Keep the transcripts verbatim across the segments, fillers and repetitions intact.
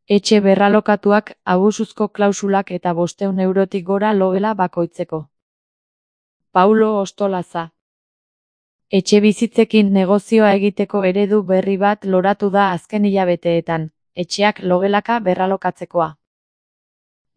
Etxe berralokatuak, abusuzko klausulak eta bostehun eurotik gora logela bakoitzeko. Paulo Ostolaza. Etxebizitzekin negozioa egiteko eredu berri bat loratu da azken hilabeteetan, etxeak logelaka berralokatzekoa.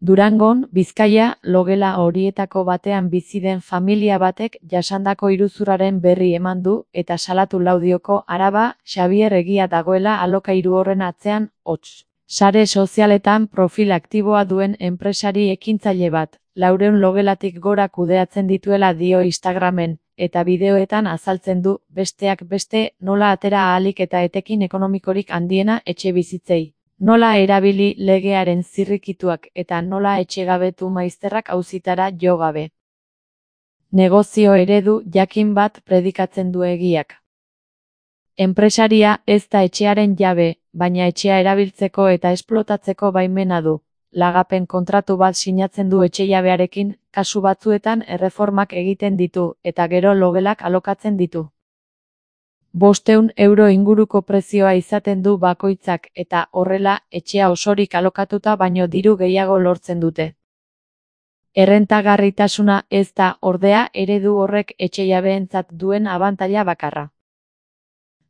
Durangon, Bizkaia, logela horietako batean bizi den familia batek jasandako iruzurraren berri eman du eta salatu Laudioko Araba, Xabier Egia dagoela alokairu horren atzean, hots. Sare sozialetan profil aktiboa duen enpresari ekintzaile bat, laurehun logelatik gora kudeatzen dituela dio Instagramen, eta bideoetan azaltzen du, besteak beste, nola atera ahalik eta etekin ekonomikorik handiena etxe bizitzei. Nola erabili legearen zirrikituak eta nola etxegabetu maizterrak auzitara jo gabe. Negozio eredu jakin bat predikatzen du Egiak. Enpresaria ez da etxearen jabe, baina etxea erabiltzeko eta esplotatzeko baimena du. Lagapen kontratu bat sinatzen du etxejabearekin, kasu batzuetan erreformak egiten ditu eta gero logelak alokatzen ditu. Bostehun euro inguruko prezioa izaten du bakoitzak eta horrela etxea osorik alokatuta baino diru gehiago lortzen dute. Errentagarritasuna ez da ordea eredu horrek etxejabeentzat duen abantaila bakarra.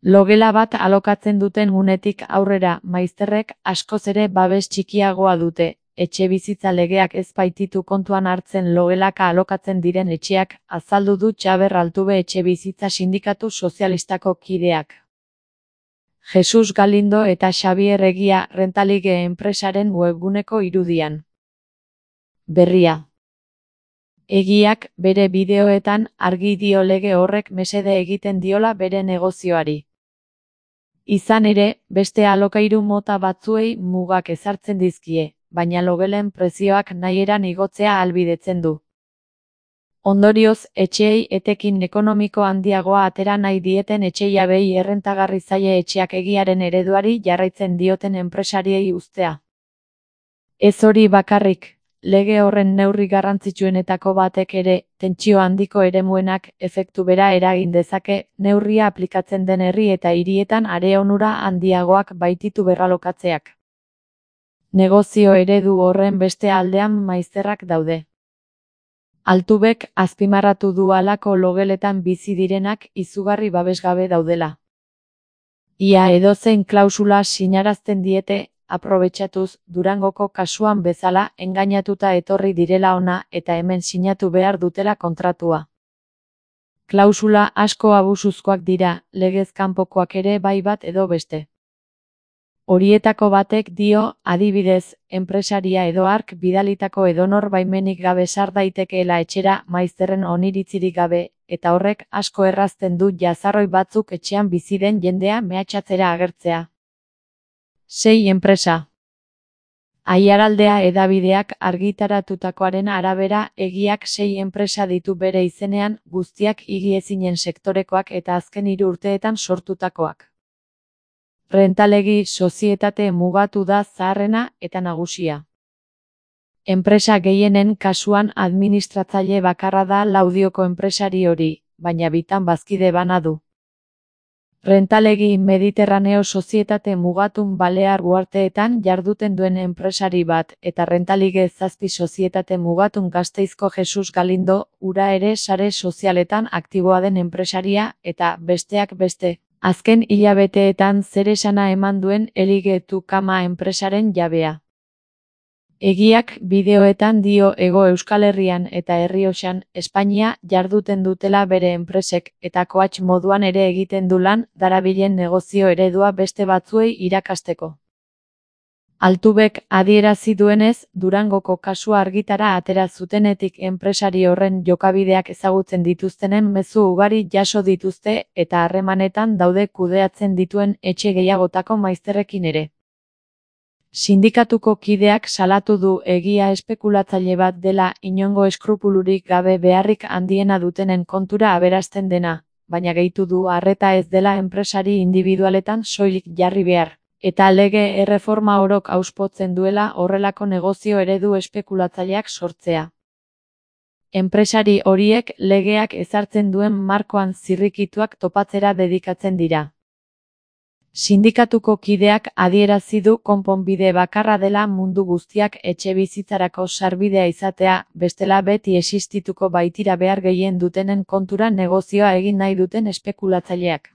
Logela bat alokatzen duten unetik aurrera maizterrek askoz ere babes txikiagoa dute. Etxe bizitza legeak ez baititu kontuan hartzen logelaka alokatzen diren etxeak, azaldu du Txaber Altube etxe bizitza sindikatu sozialistako kideak. Jesus Galindo eta Xabier Egia Rentalige enpresaren webguneko irudian. Berria. Egiak, bere bideoetan, argi dio lege horrek mesede egiten diola bere negozioari. Izan ere, beste alokairu mota batzuei mugak ezartzen dizkie, baina logelen prezioak nahieran igotzea ahalbidetzen du. Ondorioz, etxeei etekin ekonomiko handiagoa atera nahi dieten etxejabei errentagarri zaie etxeak Egiaren ereduari jarraitzen dioten enpresariei uztea. Ez hori bakarrik, lege horren neurri garrantzitsuenetako batek ere, tentsio handiko eremuenak efektu bera eragin dezake, neurria aplikatzen den herri eta hirietan are onura handiagoak baititu berralokatzeak. Negozio eredu horren beste aldean maizterrak daude. Altubek azpimarratu du halako logeletan bizi direnak izugarri babesgabe daudela. Ia edozein klausula sinarazten diete, aprobetxatuz, Durangoko kasuan bezala engainatuta etorri direla ona eta hemen sinatu behar dutela kontratua. Klausula asko abusuzkoak dira, legez kanpokoak ere bai bat edo beste. Horietako batek dio, adibidez, enpresaria edo hark bidalitako edonor baimenik gabe sar daitekeela etxera maizterren oniritzirik gabe, eta horrek asko errazten du jazarroi batzuk etxean bizi den jendea mehatxatzera agertzea. Sei enpresa. Aiaraldea hedabideak argitaratutakoaren arabera Egiak sei enpresa ditu bere izenean, guztiak higiezinen sektorekoak eta azken hiru urteetan sortutakoak. Rentalegi sozietate mugatu da zaharrena eta nagusia. Enpresa gehienen kasuan administratzaile bakarra da Laudioko enpresari hori, baina bitan bazkide bana du. Rentalegi Mediterraneo sozietate mugatun Balear uharteetan jarduten duen enpresari bat eta Rentalige zazpi sozietate mugatun Gasteizko Jesus Galindo, ura ere sare sozialetan aktiboa den enpresaria eta besteak beste. Azken hilabeteetan zeresana eman duen Elige Tukama enpresaren jabea. Egiak bideoetan dio Hego Euskal Herrian eta Errioxan, Espainia jarduten dutela bere enpresek eta koatx moduan ere egiten du lan darabilen negozio eredua beste batzuei irakasteko. Altubek adierazi duenez, Durangoko kasua argitara atera zutenetik enpresari horren jokabideak ezagutzen dituztenen mezu ugari jaso dituzte eta harremanetan daude kudeatzen dituen etxe gehiagotako maizterrekin ere. Sindikatuko kideak salatu du Egia espekulatzaile bat dela inongo eskrupulurik gabe beharrik handiena dutenen kontura aberasten dena, baina gehitu du arreta ez dela enpresari individualetan soilik jarri behar. Eta lege erreforma orok auspotzen duela horrelako negozio eredu espekulatzaileak sortzea. Enpresari horiek legeak ezartzen duen markoan zirrikituak topatzera dedikatzen dira. Sindikatuko kideak adierazi du konponbide bakarra dela mundu guztiak etxebizitzarako sarbidea izatea, bestela beti existituko baitira behar gehien dutenen kontura negozioa egin nahi duten espekulatzaileak.